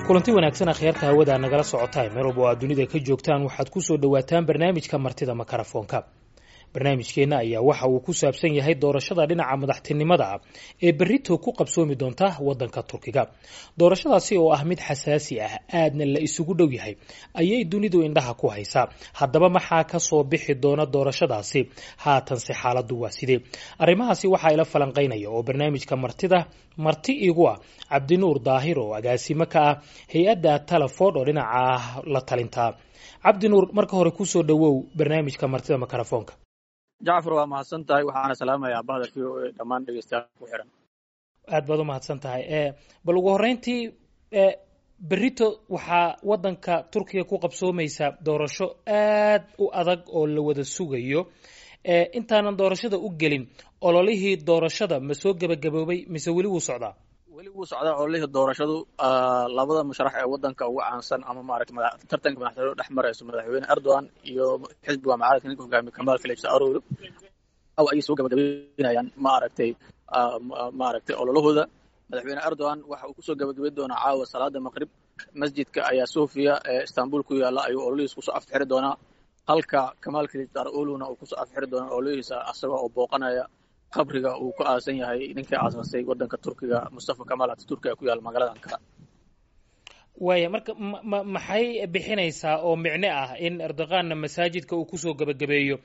Kulanti wanaagsan, akhyaarta hawada nagala socotaa meel walba oo aad dunida ka joogtaan, waxaad ku soo dhowaataan barnaamijka Martida Makarafoonka. Barnaamijkeenna ayaa waxa uu ku saabsan yahay doorashada dhinaca madaxtinimada ah ee berrito ku qabsoomi doonta waddanka Turkiga. Doorashadaasi oo ah mid xasaasi ah, aadna la isugu dhow yahay, ayay dunidu indhaha ku haysaa. Haddaba, maxaa ka soo bixi doona doorashadaasi? Haatanse xaaladdu waa sidee? Arrimahaasi waxaa ila falanqaynaya oo barnaamijka martida marti igu ah Cabdinuur Daahir, oo agaasimo ka ah hay-adda Talaford oo dhinaca la talintaa. Cabdinuur, marka hore kusoo dhowow barnaamijka Martida Makarafoonka. Jacfar, waa mahadsan tahay. Waxaana salaamayaa bahda VOA, dhammaan dhegeystayaal ku xiran. Aad baad u mahadsan tahay. Bal ugu horreyntii, berrito waxaa waddanka Turkiga ku qabsoomaysa doorasho aad u adag oo la wada sugayo. Intaanan doorashada u gelin, ololihii doorashada ma soo gebagaboobay mise weli wuu socdaa? Weli wuu socdaa ololihii doorashadu. Labada musharax ee waddanka ugu caansan ama maaragtay tartanka madaxtooyada dhex marayso, Madaxweyne Erdogan iyo xisbiga mucaaradka ninka hogaamiye Kamaal Kılıçdaroğlu, ayay soo gabagabeynayaan maaragtay ololahooda. Madaxweyne Erdogan waxa uu kusoo gabagabeyn doonaa caawa salaada maqrib masjidka Ayaa Sofia ee Istanbul ku yaalla ayuu ololihiisa kusoo afxiri doonaa, halka Kamaal Kılıçdaroğluna uu kusoo afxiri doonaa ololihiisa asagoo oo booqanaya qabriga uu ku aasan yahay ninkii aasaasay waddanka Turkiga, Mustafa Kamaal Ataturk, ee ku yaalla magaalada Ankara. Waaya, marka ma maxay bixinaysaa oo micno ah in Erdoganna masaajidka uu kusoo gebagabeeyo,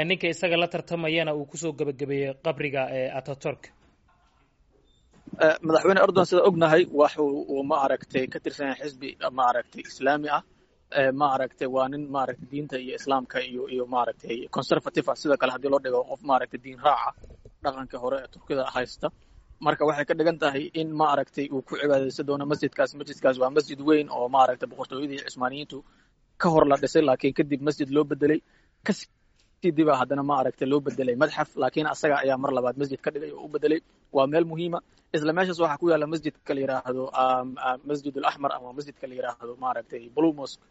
ninka isaga la tartamayana uu kusoo gebagabeeyo qabriga Ataturk? Madaxweyne Erdogan, sida ognahay, waxu uu ma aragtay ka tirsan yahay xisbi ma aragtay islaami ah. Ma aragtay, waa nin maaragtay diinta iyo islaamka iyo maaragtay conservative ah, sida kale haddii loo dhigo qof maaragtay diin raaca dhaqanka hore ee Turkida haysta. Marka waxay ka dhigan tahay in ma aragtay uu ku cibaadaysan doono masjidkaas. Masjidkaas waa masjid weyn oo maaragtay boqortooyadii Cusmaaniyiintu ka hor la dhisay, laakiin kadib masjid loo bedelay, kasii diba haddana ma aragtay loo bedelay madxaf, laakiin asaga ayaa mar labaad masjid ka dhigay oo u bedelay. Waa meel muhiima. Isla meeshaas waxaa ku yaalla masjidka la yidhaahdo Masjid Alaxmar ama masjidka la yidhaahdo maaragtay Blue Mosque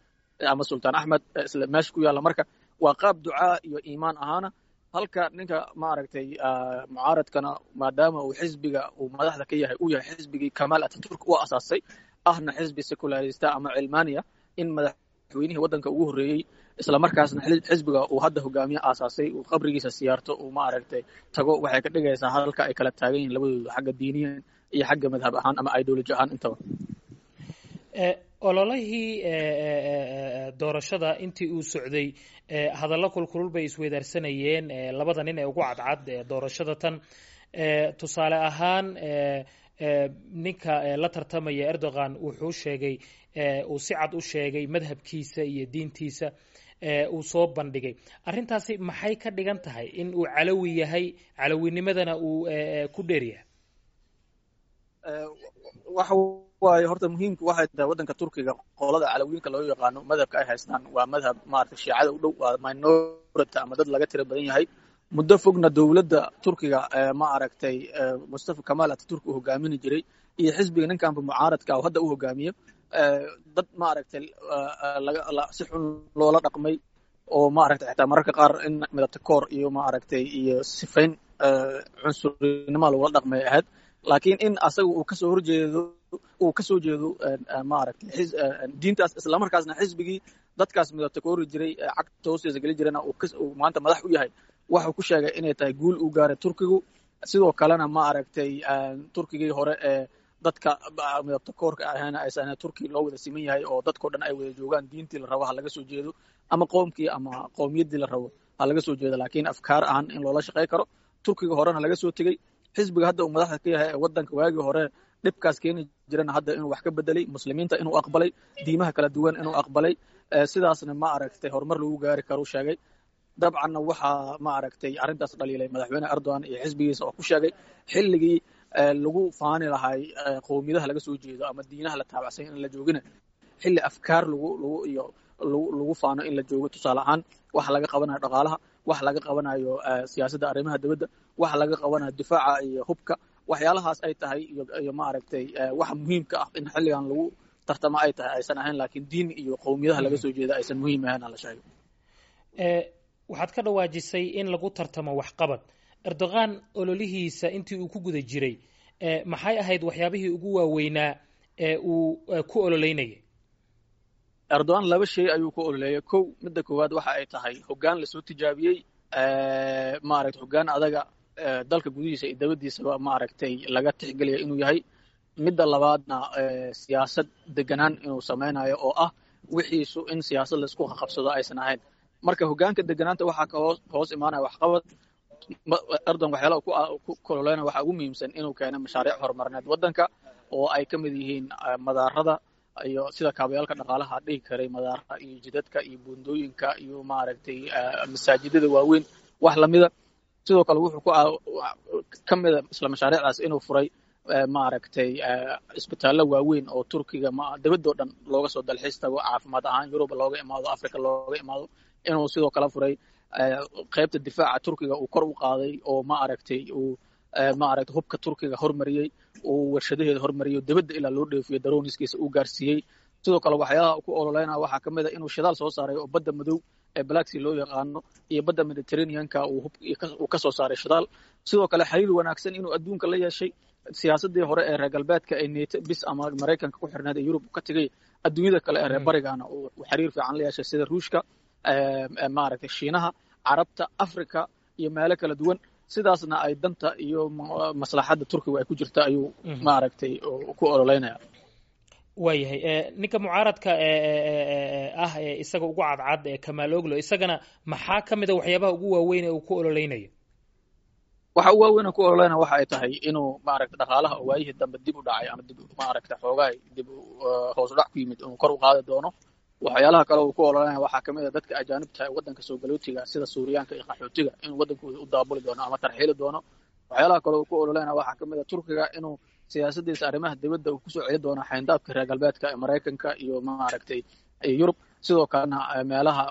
ama Sultaan Axmed, isla meesha ku yaalla. Marka waa qaab ducaa iyo iimaan ahaana, halka ninka maaragtay mucaaradkana, maadaama uu xisbiga uu madaxda ka yahay uu yahay xisbigii Kamaal Ataturk u asaasay, ahna xisbi secularista ama cilmaaniya, in madaxweynihii waddanka ugu horreeyey, isla markaasna xisbiga uu hadda hogaamiye aasaasay, uu qabrigiisa siyaarto, uu maaragtay tago, waxay ka dhigaysaa halka ay kala taagan yihiin labadooda xagga diiniyan iyo xagga madhab ahaan ama ideology ahaan intaba. Ololihii doorashada intii uu socday, hadallo kulkulul bay isweydaarsanayeen labada nin ee ugu cadcad doorashada tan. Tusaale ahaan, ninka la tartamaya Erdogan wuxuu sheegay, uu si cad u sheegay madhabkiisa iyo diintiisa uu soo bandhigay. Arrintaasi maxay ka dhigan tahay, in uu calawi yahay, calawinimadana uu ku dheer yahay? Waxa waaye, horta muhiimku waxay tahay waddanka Turkiga qolada calawiinka loo yaqaano madhabka ay haystaan waa madhab maaragtay shiicada u dhow, waa minority ama dad laga tiro badan yahay. Muddo fogna dowladda Turkiga ma aragtay Mustafa Kamaal Ataturk uu hogaamini jiray iyo xisbiga ninkanba mucaaradka oo hadda u hogaamiyo, dad ma aragtay si xun loola dhaqmay oo ma aragtay xitaa mararka qaar in midabta koor iyo ma aragtay iyo sifayn cunsurinimo lagula dhaqmay ahayd. Laakiin in asaga uu kasoo horjeedo, uu kasoo jeedo ma aragtay diintaas, islamarkaasna xisbigii dadkaas midabta koori jiray cagta hoostiisa geli jirana uu maanta madax u yahay, waxuu ku sheegay inay tahay guul uu gaaray Turkigu. Sidoo kalena ma aragtay Turkigii hore ee dadka midabta koorka ahayna aysan, Turki loo wada siman yahay oo dadkao dhan ay wada joogaan, diintii la rabo ha laga soo jeedo ama qoomkii ama qowmiyaddii la rabo ha laga soo jeedo, laakiin afkaar ahaan in loola shaqey karo. Turkiga horena laga soo tegey, xisbiga hadda uu madaxda ka yahay ee waddanka waagii hore dhibkaas keeni jirana hadda inuu wax ka bedelay, muslimiinta inuu aqbalay, diimaha kala duwan inuu aqbalay, sidaasna ma aragtay horumar lagu gaari karo sheegay. Dabcanna waxaa ma aragtay arrintaas dhaliilay Madaxweyne Erdogan iyo xisbigiisa, oo ku sheegay xilligii lagu faani lahay qowmiyadaha laga soo jeedo ama diinaha la taabacsan in la joogina, xilli afkaar lagu lagu iyo lagu lagu faano in la joogo. Tusaale ahaan, waxa laga qabanayo dhaqaalaha, waxa laga qabanayo siyaasadda arrimaha dibadda, waxa laga qabanayo difaaca iyo hubka, waxyaalahaas ay tahay iyo ma aragtay waxa muhiimka ah in xilligan lagu tartamo ay tahay, aysan ahayn laakiin diin iyo qowmiyadaha laga soo jeeda aysan muhiim ahayn la sheego. Waxaad ka dhawaajisay in lagu tartamo waxqabad. Erdogan ololihiisa intii uu ku guda jiray, maxay ahayd waxyaabihii ugu waaweynaa Uu ku ololeynayay? Erdogan laba shay ayuu ku ololeeyay. Kow, midda koowaad waxa ay tahay hoggaan lasoo tijaabiyey, maaragtay, hoggaan adaga dalka gudihiisa iyo dabadiisaba maaragtay laga tixgeliya inuu yahay. Midda labaadna, siyaasad deganaan inuu samaynayo, oo ah wixiisu in siyaasad laisku qabsado aysan ahayn. Marka hoggaanka deganaanta waxaa ka hoos imaanaya waxqabad. Erdogan waxyaalaha ku kololeynaya waxaa ugu muhiimsan inuu keeno mashaariic horumarineed waddanka, oo ay ka mid yihiin madaarada iyo sida kaabayaalka dhaqaalaha dhihi karay, madaarada iyo jidadka iyo buundooyinka iyo maaragtay masaajidada waaweyn, wax lamida. Sidoo kale wuxuu ku ka mida isla mashaariicdaas inuu furay maaragtay isbitaallo waaweyn oo Turkiga dibadoo dhan looga soo dalxiis tago, caafimaad ahaan Yurub looga imaado, Africa looga imaado. Inuu sidoo kale furay qaybta difaaca Turkiga, uu kor u qaaday oo maaragtay uu maaragtay hubka Turkiga hormariyey, uu warshadaheeda hormariyey, dibadda ilaa loo dheefiyo, daroniskiisa uu gaarsiiyey. Sidoo kale waxyaalaha ku ololeynaya waxaa ka mid a inuu shidaal soo saaray, oo badda madow ee Black Sea loo yaqaano iyo badda Mediterraneanka uu ka soo saaray shidaal. Sidoo kale xiriir wanaagsan inuu adduunka la yeeshay, siyaasaddii hore ee reer galbeedka ee NATO bis ama Maraykanka ku xirneed ee Yurub ka tegay, adduunyada kale ee reer barigana uu xiriir fiican la yeeshay, sida Ruushka, maaragtay Shiinaha, Carabta, Africa iyo meelo kala duwan. Sidaasna ay danta iyo maslaxadda Turkiga ay ku jirta ayuu maaragtay ku ololeynaya. Waayahay. Ninka mucaaradka ah ee isaga ugu cadcad ee Kamaal Oglo, isagana maxaa ka mid a waxyaabaha ugu waaweyn ee uu ku ololeynayo? Waxa ugu waaweyn ku ololeynaya waxa ay tahay inuu maaragta dhaqaalaha oo waayihii dambe dib u dhacay ama dib maaragta xoogaay dib hoos u dhac ku yimid inuu kor u qaadi doono. Waxyaalaha kale uu ku ololeynaya waxaa kamid a dadka ajaanibta ee waddanka soo galootiga, sida Suuriyaanka iyo qaxootiga, inuu waddankooda u daabuli doono ama tarxiili doono. Waxyaalaha kale uu ku ololeynaya waxaa kamid a Turkiga inuu siyaasadiisa arrimaha dibadda uu kusoo celi doono xayndaabka reer galbeedka ee Maraykanka iyo maaragtay Yurub. Sidoo kalena meelaha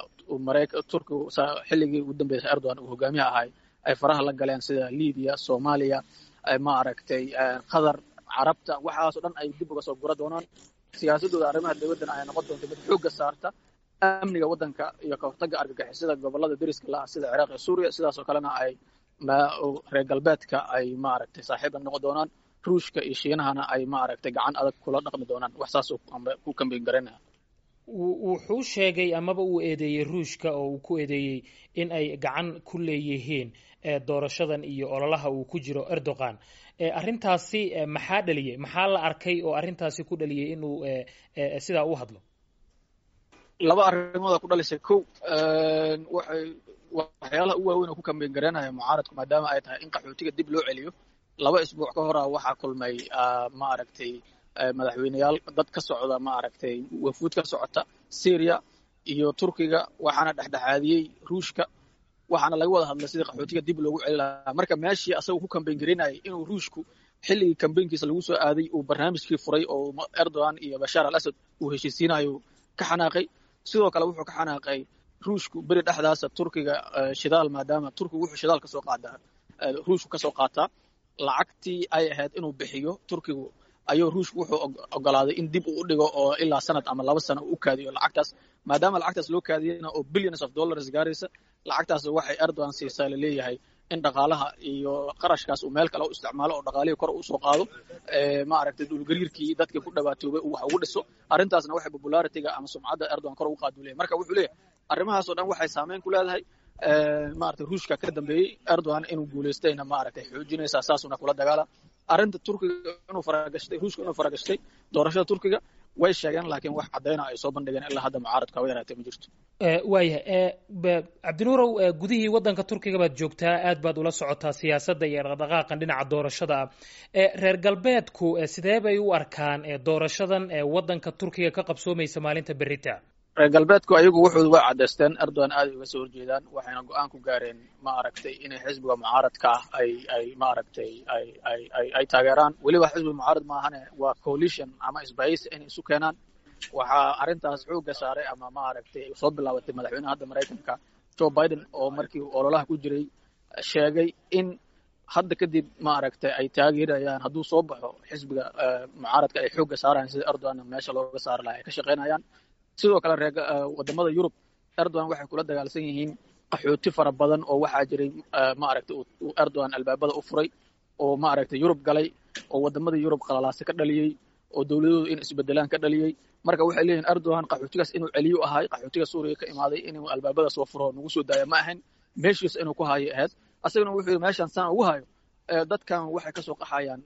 Turkigu xilligii ugu dambeysay Erdogan uu hogaamiyaha ahay ay faraha la galeen, sida Libiya, Soomaaliya, maaragtay Qatar, Carabta, waxaasoo dhan ay dib uga soo gura doonaan. Siyaasadooda arrimaha dibaddana ay noqon doonto mid xoogga saarta amniga waddanka iyo ka hortagga argagixisada gobollada deriska la ah, sida Ciraaq iyo Suuriya. Sidaasoo kalena ay reer galbeedka ay maaragtay saaxiib la noqon doonaan, Ruushka iyo Shiinahana ay maaragtay gacan adag kula dhaqmi doonaan. Wax saas ku kambeyn garanaya. Wuxuu sheegay amaba uu eedeeyey Ruushka, oo uu ku eedeeyey in ay gacan ku leeyihiin doorashadan iyo ololaha uu ku jiro Erdogan. Arrintaasi maxaa dhaliyey? Maxaa la arkay oo arrintaasi ku dhaliyey inuu sidaa u hadlo? Laba arrimooda ku dhalisay. Kow, waxay waxyaalaha u waaweyn oo ku kambeyn garanaya mucaaradku, maadaama ay tahay in qaxootiga dib loo celiyo, 2 isbuuc ka hora waxaa kulmay maaragtay madaxweyneyaal dad ka socda, maaragtay wafuud ka socota Syria iyo Turkiga, waxaana dhexdhexaadiyey Ruushka, waxaana laga wada hadlay sidii qaxootiga dib loogu celi lahaa. Marka meeshii asaga ku kambeyn garinayay inuu Ruushku xilligii kambeynkiisa lagu soo aaday uu barnaamijkii furay oo Erdogan iyo Bashaar al Asad uu heshiisiinayo, ka xanaaqay. Sidoo kale wuxuu ka xanaaqay Ruushku beri dhexdaasa Turkiga shidaal, maadaama Turkigu wuxuu shidaal kasoo qaadaa Ruushku kasoo qaataa, lacagtii ay ahayd inuu bixiyo Turkigu ayuu Ruushku wuxuu ogolaaday in dib uu u dhigo oo ilaa sanad ama 2 sano uu u kaadiyo lacagtaas. Maadaama lacagtaas loo kaadiyena oo billions of dollars gaaraysa, lacagtaas waxay Erdogan siisaa laleeyahay in dhaqaalaha iyo qarashkaas uu meel kale u isticmaalo oo dhaqaalihii kor usoo qaado, maaragtay dhulgariirkii dadkii ku dhawaatoobay uu wax ugu dhiso. Arrintaasna waxay popularity-ga ama sumcadda Erdogan kor ugu qaadu leeyahay. Marka wuxuu leeyahay arrimahaas oo dhan waxay saameyn ku leedahay maaragtay Ruushka ka dambeeyey Erdogan inuu guulaystayna maaragtay xoojinaysaa, saasuna kula dagaala. Arrinta Turkiga inuu faragashtay, Ruushka inuu faragashtay doorashada Turkiga way sheegeen, laakiin wax caddayna ay soo bandhigeen ilaa hadda mucaaradka haba yaraatee ma jirto. Waayahay. Cabdinuurow, gudihii waddanka Turkiga baad joogtaa, aad baad ula socotaa siyaasadda iyo dhaqdhaqaaqan dhinaca doorashada ah. Reer galbeedku sidee bay u arkaan doorashadan waddanka Turkiga ka qabsoomaysa maalinta berita? Reer galbeedku ayagu wuxuu way caddaysteen, Erdogan aaday uga soo horjeedaan, waxayna go-aan ku gaareen maaragtay inay xisbiga mucaaradka ah ay maaragtay ay taageeraan. Weliba xisbiga mucaarad maahane, waa coalition ama isbahaysi inay isu keenaan. Waxaa arrintaas xoogga saaray ama maaragtay soo bilaabatay madaxweynaha hadda Maraykanka Joe Biden, oo markii uu ololaha ku jiray sheegay in hadda kadib maaragtay ay taageerayaan hadduu soo baxo xisbiga mucaaradka, ay xoogga saarayaan sida Erdogan meesha looga saari lahaa ay ka shaqaynayaan. Sidoo kale reer wadamada Yurub Erdogan waxay kula dagaalsan yihiin qaxooti fara badan oo waxaa jiray maaragtay uu Erdogan albaabada u furay oo maaragtay Yurub galay oo wadamada Yurub qalalaase ka dhaliyey. oo dowladoodu in isbedelaan ka dhaliyey. Marka waxay leeyihin Erdogan qaxootigaas inuu celiyo ahay, qaxootiga Suuriya ka imaaday inuu albaabada soo furo nagu soo daaya ma ahayn, meeshiisa inuu ku hayo ahayd. Asagana wuxuu yidhi meeshaan saan ugu hayo dadkan waxay kasoo qaxayaan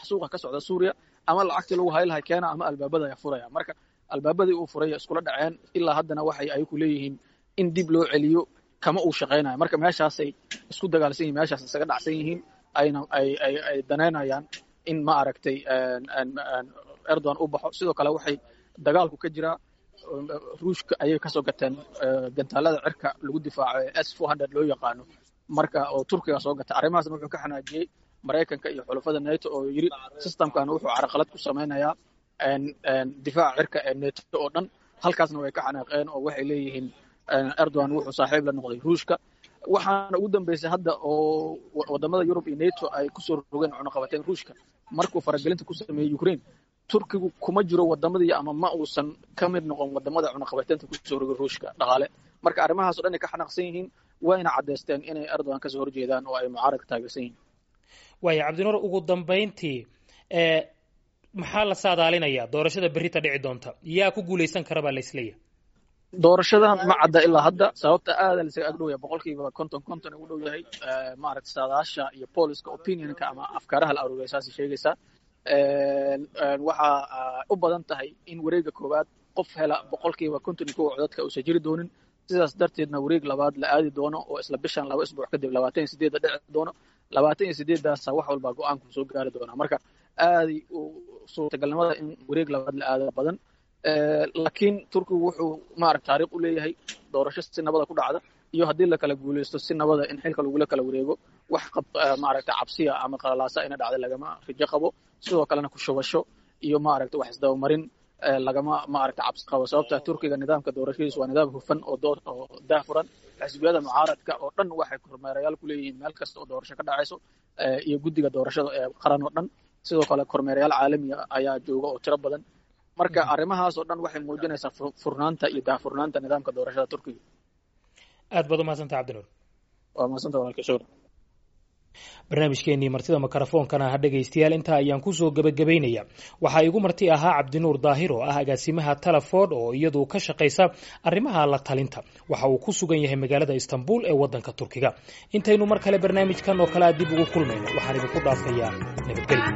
suuqa ka socda Suuriya, ama lacagtii lagu hayi lahay keena ama albaabada ayaa furaya. Marka albaabadii uu furay iskula dhaceen, ilaa haddana waxay ayaku leeyihiin in dib loo celiyo kama uu shaqaynayo. Marka meeshaasay isku dagaalsan yihin, meeshaas isaga dhacsan yihiin, ayna ay ay ay danaynayaan in ma aragtay Erdogan u baxo. Sidoo kale waxay dagaalku ka jiraa Ruushka ayay kasoo gateen gantaalada cirka lagu difaaco ee S-400 loo yaqaano, marka oo Turkiga soo gata. Arrimahaasna wuxuu ka xanaajiyey Maraykanka iyo xulafada NATO oo yidhi systemkan wuxuu carqalad ku samaynayaa difaaca cirka ee NATO oo dhan. Halkaasna way ka xanaaqeen oo waxay leeyihiin Erdogan wuxuu saaxiib la noqday Ruushka. Waxaana ugu dambeysay hadda oo wadamada Yurub iyo NATO ay kusoo rogeen cunaqabateen Ruushka markuu faragelinta ku sameeyey Ukraine. Turkigu kuma jiro wadamadii ama ma uusan ka mid noqon wadamada cunaqabateynta kusoo rogay Ruushka dhaqaale. Marka arrimahaas o dhan ay ka xanaaqsan yihiin, wayna caddaysteen inay Erdogan kasoo horjeedaan oo ay mucaaradka taageersan yihiin. Waaya Cabdinuur, ugu dambayntii maxaa la saadaalinayaa doorashada berrita dhici doonta? Yaa ku guulaysan kara baa la isleeyahay? Doorashadan ma cadda ilaa hadda, sababta aada la isaga ag dhow yahay, 50% 50 ugu dhow yahay. Maaragta saadaasha iyo polska opinionka ama afkaaraha la aruuriya saasay sheegaysaa. Waxaa u badan tahay in wareegga koowaad qof hela 51% codadka uusan jiri doonin, sidaas darteedna wareeg labaad la aadi doono oo isla bishan 2 isbuuc kadib 28-da dhici doono. 28-daasa wax walbaa go-aanku soo gaari doonaa. Marka aaday suurtagalnimada in wareeg labaad la aado badan, laakiin Turkigu wuxuu maaragta taariikh u leeyahay doorasho si nabada ku dhacda, iyo haddii la kala guuleysto si nabada in xilka lagula kala wareego. Wax maaragta cabsiya ama qalalaasa ina dhacda lagama rajo qabo. Sidoo kalena ku shubasho iyo maaragta wax isdabamarin lagama maaragta cabsi qabo, sababta Turkiga nidaamka doorashadiisu waa nidaam hufan oo oo daahfuran. Xisbiyada mucaaradka oo dhan waxay kormeerayaal ku leeyihiin meel kasta oo doorasho ka dhacayso iyo guddiga doorashada ee qaran oo dhan. Sidoo kale kormeerayaal caalamiya ayaa jooga oo tiro badan. Marka arrimahaas oo dhan waxay muujinaysaa furnaanta iyo daahfurnaanta nidaamka doorashada Turkiga. Aad baad umahadsanta, Cabdinuur. Waa mahadsanta walaalka, shukran. Barnaamijkeenii martida mikrofoonkana ha dhegaystayaal intaa ayaan kusoo gebagabaynaya. Waxaa igu marti ahaa Cabdinuur Daahir oo ah agaasimaha Teleford oo iyadu ka shaqaysa arrimaha la talinta. Waxa uu ku sugan yahay magaalada Istanbul ee waddanka Turkiga. Intaynu mar kale barnaamijkan oo kale a dib ugu kulmayno, waxaan idinku dhaafayaa nabadgelyo.